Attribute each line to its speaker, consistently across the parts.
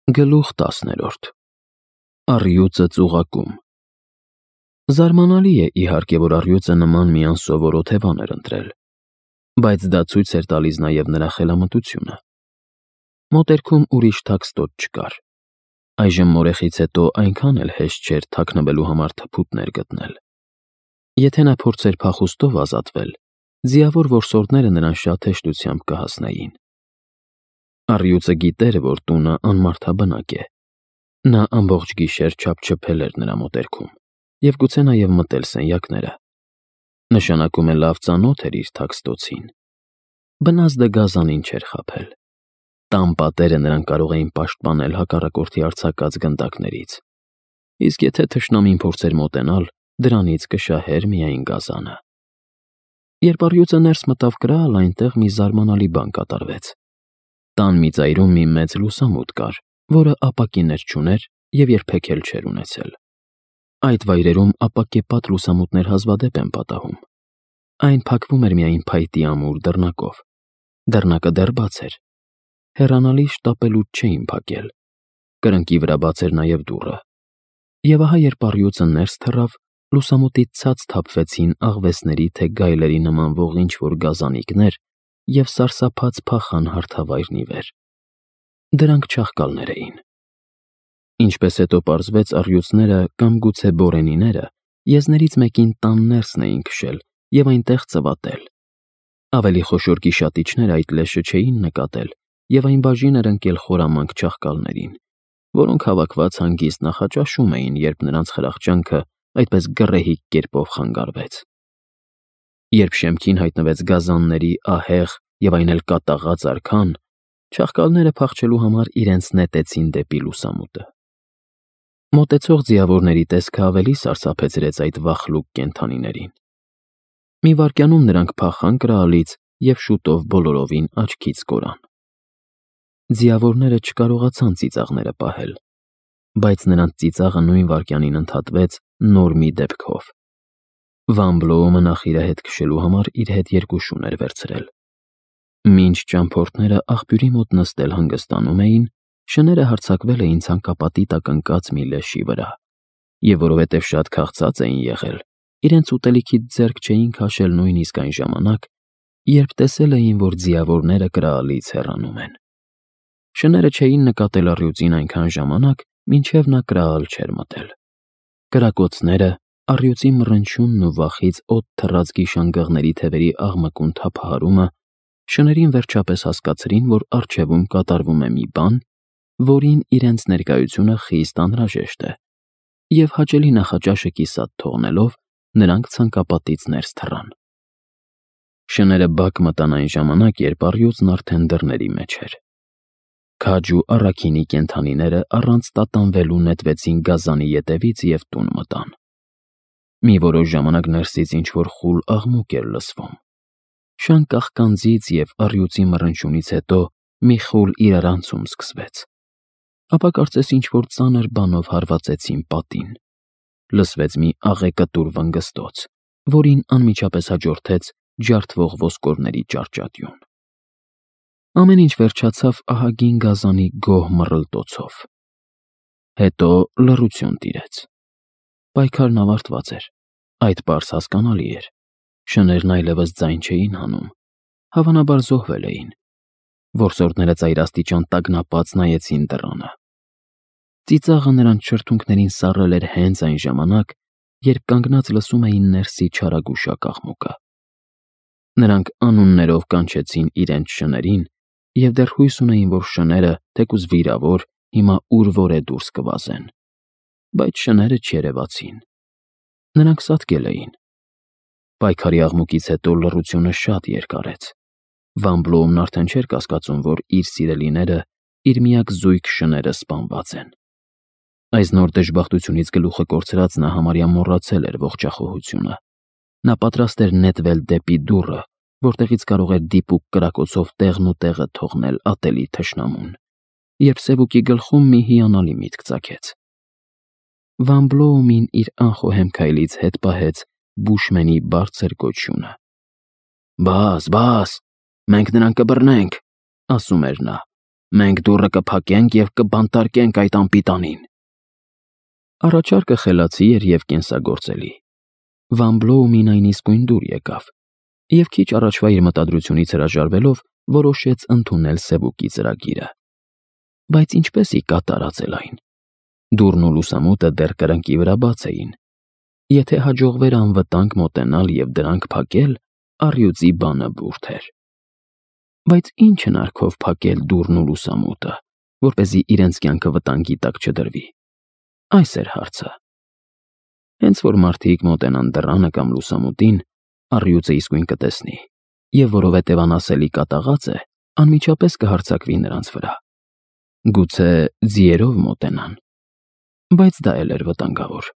Speaker 1: Գլուխ 10. Առյուծը ծուղակում։ Զարմանալի է, իհարկե, որ առյուծը նման մի անսովոր օթևան էր ընտրել, բայց դա ցույց էր տալիս նաև նրա խելամտությունը։ Մոտերքում ուրիշ թաքստոտ չկար։ Այժմ մորեխից հետո այնքան էլ հեշտ չէր թաքնվելու համար թփուտներ գտնել։ Եթե նա փորձեր փախուստով ազատվել, ձիավոր որսորդները նրան շատ հեշտությամբ կհասնեին։ Առյուծը գիտեր, որ տունը անմարդաբնակ է։ Նա ամբողջ գիշեր չափչփել էր նրա մոտերքում և գուցե նաև մտել սենյակները։ Նշանակում է լավ ծանոթ էր իր թաքստոցին։ Բնազդը գազանին չէր խաբել։ Տան պատերը նրան կարող էին պաշտպանել հակառակորդի արձակած գնդակներից, իսկ եթե թշնամին փորձեր մոտենալ, դրանից կշահեր միայն գազանը։ Երբ առյուծը ներս մտավ կրալ, այնտեղ մի զարմանալի բան կատարվեց։ Տան մի ծայրում մի մեծ լուսամուտ կար, որը ապակիներ չուներ և երբեք էլ չէր ունեցել։ Այդ վայրերում ապակեպատ լուսամուտներ հազվադեպ են պատահում։ Այն փակվում էր միայն փայտի ամուր դռնակով։ Դռնակը դեռ բաց էր։ Հեռանալի շտապելուտ չէին փակել։ Կրկնակի վրա բաց էր նաև դուռը։ Եվ ահա երբ առյուծը ներս թռավ, լուսամուտից ցած թափվեցին աղվեսների թե գայլերի նմանվող ինչ-որ գազանիկներ և սարսափած փախան հարթավայրն ի վեր։ Դրանք չաղկալներ էին։ Ինչպես հետո պարզվեց, առյուծները կամ գուցե բորենիները եզներից մեկին տան ներսն էին քշել և այնտեղ ծվատել։ Ավելի խոշոր գիշատիչները այդ լեշը չէին նկատել և այն բաժին էր ընկել խորամանկ չաղկալներին, որոնք հավաքված հանգիստ նախաճաշում էին, երբ նրանց խրախճանքը այդպես գռեհիկ կերպով խանգարվեց։ Երբ շեմքին հայտնվեց գազանների ահեղ և այն էլ կատաղած արքան, չաղկալները փախչելու համար իրենց նետեցին դեպի լուսամուտը։ Մոտեցող ձիավորների տեսքը ավելի սարսափեցրեց այդ վախլուկ կենդանիներին։ Մի վայրկյանում նրանք փախան կրալից և շուտով բոլորովին աչքից կորան։ Ձիավորները չկարողացան ծիծաղները պահել, բայց նրանց ծիծաղը նույն վայրկյանին ընդհատվեց նոր մի դեպքով։ Վան Բլոումը նախիրը հետ քշելու համար իր հետ երկու շուն էր վերցրել։ Մինչ ճամփորդները աղբյուրի մոտ նստել հանգստանում էին, շները հարձակվել էին ցանկապատի տակ ընկած մի լեշի վրա, և որովհետև շատ քաղցած էին եղել, իրենց ուտելիքից ձեռք չէին քաշել նույնիսկ այն ժամանակ, երբ տեսել էին, որ ձիավորները կրալից հեռանում են։ Շները չէին նկատել առյուծին այնքան ժամանակ, մինչև նա կրալ չէր մտել։ Կրակոցները, առյուծի մռնչյունն ու վախից օդ թռած գիշանգղների թևերի աղմկուն թափահարումը շներին վերջապես հասկացրին, որ առջևում կատարվում է մի բան, որին իրենց ներկայությունը խիստ անհրաժեշտ է, և հաճելի նախաճաշը կիսատ թողնելով, նրանք ցանկապատից ներս թռան։ Շները բակ մտան այն ժամանակ, երբ առյուծն արդեն դռների մեջ էր։ Քաջ ու առաքինի կենդանիները առանց տատանվելու նետվեցին գազանի ետևից և տուն մտան։ Մի որոշ ժամանակ ներսից ինչ-որ խուլ աղմուկ էր լսվում։ Շան կաղկանձից և առյուծի մռնչյունից հետո մի խուլ իրարանցում սկսվեց։ Ապա կարծես ինչ-որ ծանր բանով հարվածեցին պատին։ Լսվեց մի աղեկտուր վնգստոց, որին անմիջապես հաջորդեց ջարդվող ոսկորների ճարճատյուն։ Ամեն ինչ վերջացավ ահագին գազանի գոհ մռլտոցով։ Հետո լռություն տիրեց։ Պայքարն ավարտված էր։ Այդ պարզ հասկանալի էր։ Շներն այլևս ձայն չէին հանում։ Հավանաբար զոհվել էին։ Որսորդները ծայրաստիճան տագնապած նայեցին դռանը։ Ծիծաղը նրանց շրթունքներին սառել էր հենց այն ժամանակ, երբ կանգնած լսում էին ներսի չարագուշակ աղմուկը։ Նրանք անուններով կանչեցին իրենց շներին և դեռ հույս ունեին, որ շները, թեկուզ վիրավոր, հիմա ուր-որ է դուրս կվազեն։ Բայց շները չերևացին։ Նրանք սատկել էին։ Պայքարի աղմուկից հետո լռությունը շատ երկարեց։ Վան Բլոումն արդեն չէր կասկածում, որ իր սիրելիները, իր միակ զույգ շները սպանված են։ Այս նոր դժբախտությունից գլուխը կորցրած նա համարյա մոռացել էր ողջախոհությունը։ Նա պատրաստ էր նետվել դեպի դուռը, որտեղից կարող էր դիպուկ կրակոցով տեղն ու տեղը թողնել ատելի թշնամուն, երբ Սևուկի գլխում մի հիանալի միտք ծագեց։ Վան Բլոումին իր անխոհեմ քայլից հետ պահեց բուշմենի բարձր գոչյունը։ «Բաս, բաս, մենք նրան կբռնենք», ասում էր նա։ Մենք դուռը կփակենք և կբանտարկենք այդ անպիտանին։ Առաջարկը խելացի էր և կենսագործելի։ Վան Բլոումին այն իսկույն դուր եկավ, և քիչ առաջվա իր մտադրությունից հրաժարվելով որոշեց ընդունել Սևուկի ծրագիրը։ Բայց ինչպես ի կատարածել այն։ Դուռն ու լուսամուտը դեռ կրկնակի վրա բաց էին։ Եթե հաջողվեր անվտանգ մոտենալ և դրանք փակել, առյուծի բանը բուրդ էր։ Բայց ինչ հնարքով փակել դուռն ու լուսամուտը, որպեսզի իրենց կյանքը վտանգի տակ չդրվի։ Այս էր հարցը։ Հենց որ մարդիկ մոտենան դռանը կամ լուսամուտին, առյուծը իսկույն կտեսնի, և որովհետև անասելի կատաղած է, անմիջապես կհարձակվի նրանց վրա։ Գուցե ձիերով մոտենան, բայց դա էլ էր վտանգավոր։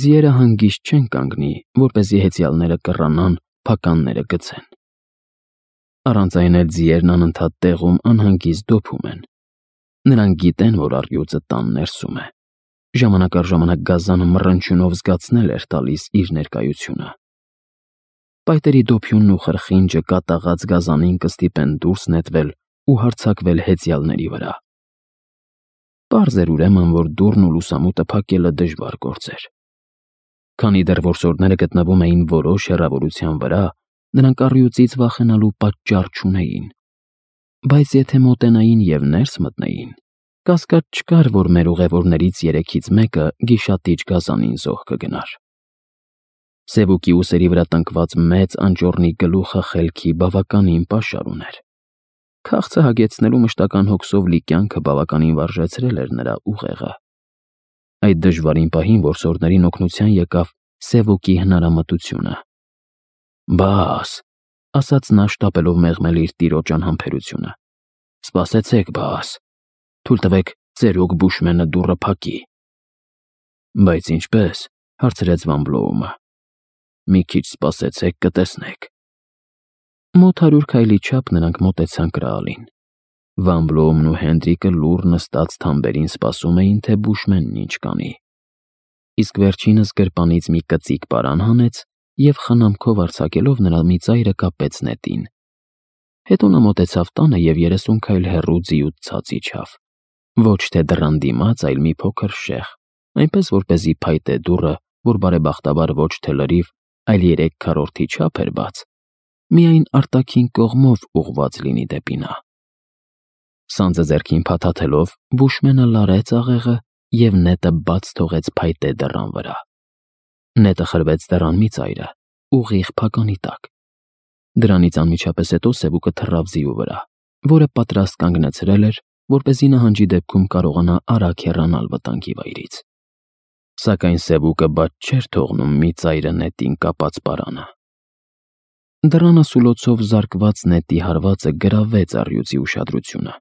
Speaker 1: Ձիերը հանգիստ չեն կանգնի, որպեսզի հեծյալները կռանան, փականները գցեն։ Առանց այն էլ ձիերն անընդհատ տեղում անհանգիստ դոփում են։ Նրանք գիտեն, որ առյուծը տան ներսում է։ Ժամանակ առ ժամանակ գազանը մռնչյունով զգացնել էր տալիս իր ներկայությունը։ Պայտերի դոփյունն ու խրխինջը կատաղած գազանին կստիպեն դուրս նետվել ու հարձակվել հեծյալների վրա։ Պարզ էր ուրեմն, որ դուռն ու լուսամուտը փակելը դժվար գործ էր։ Քանի դեռ որսորդները գտնվում էին որոշ հեռավորության վրա, նրանք առյուծից վախենալու պատճառ չունեին։ Բայց եթե մոտենային և ներս մտնեին, կասկած չկար, որ մեր ուղևորներից 3-ից մեկը գիշատիչ գազանին զոհ կգնար։ Սևուկի ուսերի վրա տնկված մեծ անճոռնի գլուխը խելքի բավականին պաշար ուներ։ Քաղցը հագեցնելու մշտական հոգսով լի կյանքը բավականին վարժեցրել էր նրա ուղեղը։ Այդ դժվարին պահին որսորդներին օգնության եկավ Սևուկի հնարամտությունը։ «Բաս», ասաց նա շտապելով մեղմել իր տիրոջ անհամբերությունը։ «Սպասեցեք, բաս, թույլ տվեք ծերուկ Բուշմենը դուռը փակի»։ «Բայց ինչպե՞ս», հարցրեց Վան Բլոումը։ «Մի քիչ սպասեցեք, կտեսնեք»։ Մոտ 100 քայլի չափ նրանք մոտեցան կրալին։ Վան Բլոումն ու Հենդրիկը լուռ նստած թամբերին սպասում էին, թե Բուշմենն ինչ կանի։ Իսկ վերջինս գրպանից մի կծիկ պարան հանեց և խնամքով արձակելով նրա մի ծայրը կապեց նետին։ Հետո նա մոտեցավ տանը և 30 քայլ հեռու ձիուց ցած իջավ։ Ոչ թե դռան դիմաց, այլ մի փոքր շեղ, այնպես որպեսզի փայտե դուռը, որ բարեբախտաբար ոչ թե լրիվ, այլ 3/4 չափ էր բաց, միայն արտաքին կողմով ուղղված լինի դեպի նա։ Սանձը ձեռքին փաթաթելով, Բուշմենը լարեց աղեղը և նետը բաց թողեց փայտե դռան վրա։ Նետը խրվեց դռան մի ծայրը, ուղիղ փականի տակ։ Դրանից անմիջապես հետո Սևուկը թռավ ձիու վրա, որը պատրաստ կանգնեցրել էր, որպեսզի նահանջի դեպքում կարողանա արագ հեռանալ վտանգի վայրից։ Սակայն Սևուկը բաց չէր թողնում մի ծայրը նետին կապած պարանը։ Դռան ասուլոցով զարկված նետի հարվածը գրավեց առյուծի ուշադրությունը։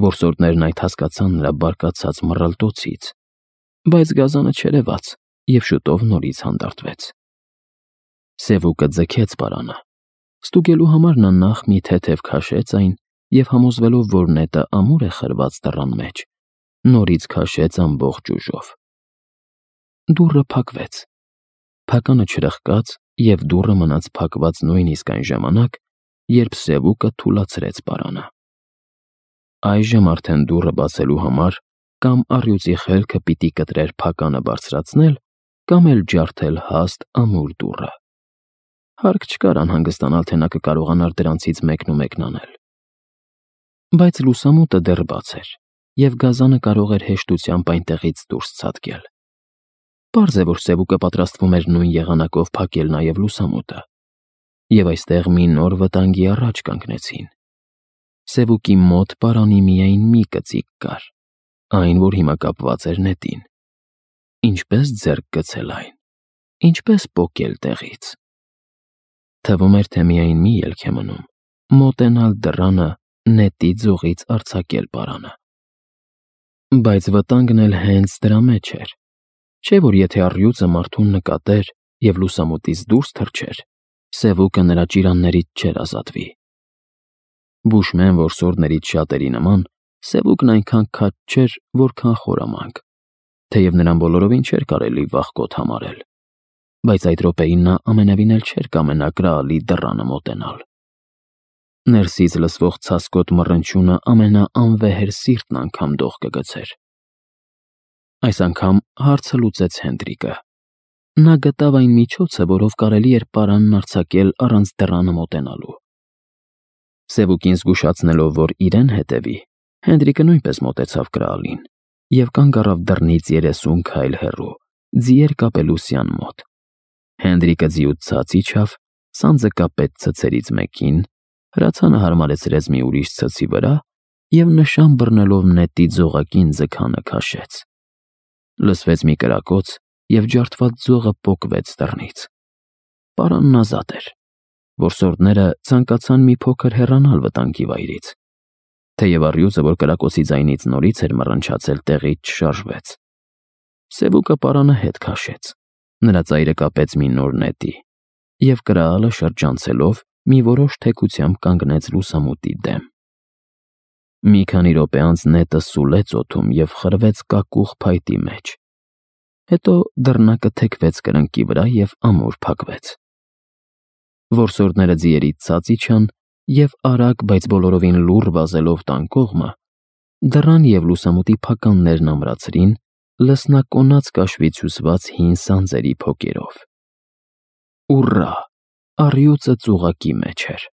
Speaker 1: Որսորդներն այդ հասկացան նրա բարկացած մռլտոցից, բայց գազանը չերևաց և շուտով նորից հանդարտվեց։ Սևուկը ձգեց պարանը։ Ստուգելու համար նա նախ մի թեթև քաշեց այն և համոզվելով, որ նետը ամուր է խրված դռան մեջ, նորից քաշեց ամբողջ ուժով։ Դուռը փակվեց։ Փականը չրխկաց և դուռը մնաց փակված նույնիսկ այն ժամանակ, երբ Սևուկը թուլացրեց պարանը։ Այժմ արդեն դուռը բացելու համար կամ առյուծի խելքը պիտի կտրեր փականը բարձրացնել, կամ էլ ջարդել հաստ ամուր դուռը։ Հարկ չկար անհանգստանալ, թե նա կկարողանար դրանցից մեկն անել։ Բայց լուսամուտը դեռ բաց էր, և գազանը կարող էր հեշտությամբ այնտեղից դուրս ցատկել։ Պարզ է, որ Սևուկը պատրաստվում էր նույն եղանակով փակել նաև լուսամուտը։ Եվ այստեղ մի նոր վտանգի առաջ կանգնեցին։ Սևուկի մոտ պարանի միայն մի կծիկ կար, այն, որ հիմա կապված էր նետին։ Ինչպես ձեռք գցել այն, ինչպես պոկել տեղից։ Թվում էր, թե միայն մի ելք է մնում՝ մոտենալ դռանը, նետի ձողից արձակել պարանը։ Բայց վտանգն էլ հենց դրա մեջ էր։ Չէ՞ որ եթե առյուծը մարդուն նկատեր և լուսամուտից դուրս թռչեր, Սևուկը նրա ճիրաններից չէր ազատվի։ Բուշմեն որսորդներից շատերի նման, Սևուկն այնքան քաջ չէր, որքան խորամանկ, թեև նրան բոլորովին չէր կարելի վախկոտ համարել, բայց այդ րոպեին նա ամենևին էլ չէր կամենա կրալի դռանը մոտենալ։ Ներսից լսվող ցասկոտ մռնչյունը ամենաանվեհեր սիրտն անգամ դող կգցեր։ Այս անգամ հարցը լուծեց Հենդրիկը։ Նա գտավ այն միջոցը, որով կարելի էր պարանն արձակել առանց դռանը մոտենալու։ Սևուկին զգուշացնելով, որ իրեն հետևի, Հենդրիկը նույնպես մոտեցավ կրալին և կանգ առավ դռնից 30 քայլ հեռու, ձիեր կապելու սյան մոտ։ Հենդրիկը ձիուց ցած իջավ, սանձը կապեց ցցերից մեկին, հրացանը հարմարեցրեց մի ուրիշ ցցի վրա և նշան բռնելով նետի ձողակին ձգանը քաշեց։ Լսվեց մի կրակոց, և ջարդված ձողը պոկվեց դռնից։ Պարանն ազատ էր։ Որսորդները ցանկացան մի փոքր հեռանալ վտանգի վայրից, թեև առյուծը, որ կրակոցի ձայնից նորից էր մռնչացել, տեղից չշարժվեց։ Սևուկը պարանը հետ քաշեց, նրա ծայրը կապեց մի նոր նետի, և կրալը շրջանցելով մի որոշ թեքությամբ կանգնեց լուսամուտի դեմ։ Մի քանի րոպե անց նետը սուլեց օդում և խրվեց կակուղ փայտի մեջ։ Հետո դռնակը թեքվեց կրկնակի վրա և ամուր փակվեց։ Որսորդները ձիերից ցած իջան և արագ, բայց բոլորովին լուռ վազելով տան կողմը, դռան և լուսամուտի փականներն ամրացրին լսնակոնած կաշվից հյուսված հին սանձերի փոկերով։ Ուռա, առյուծը ծուղակի մեջ էր։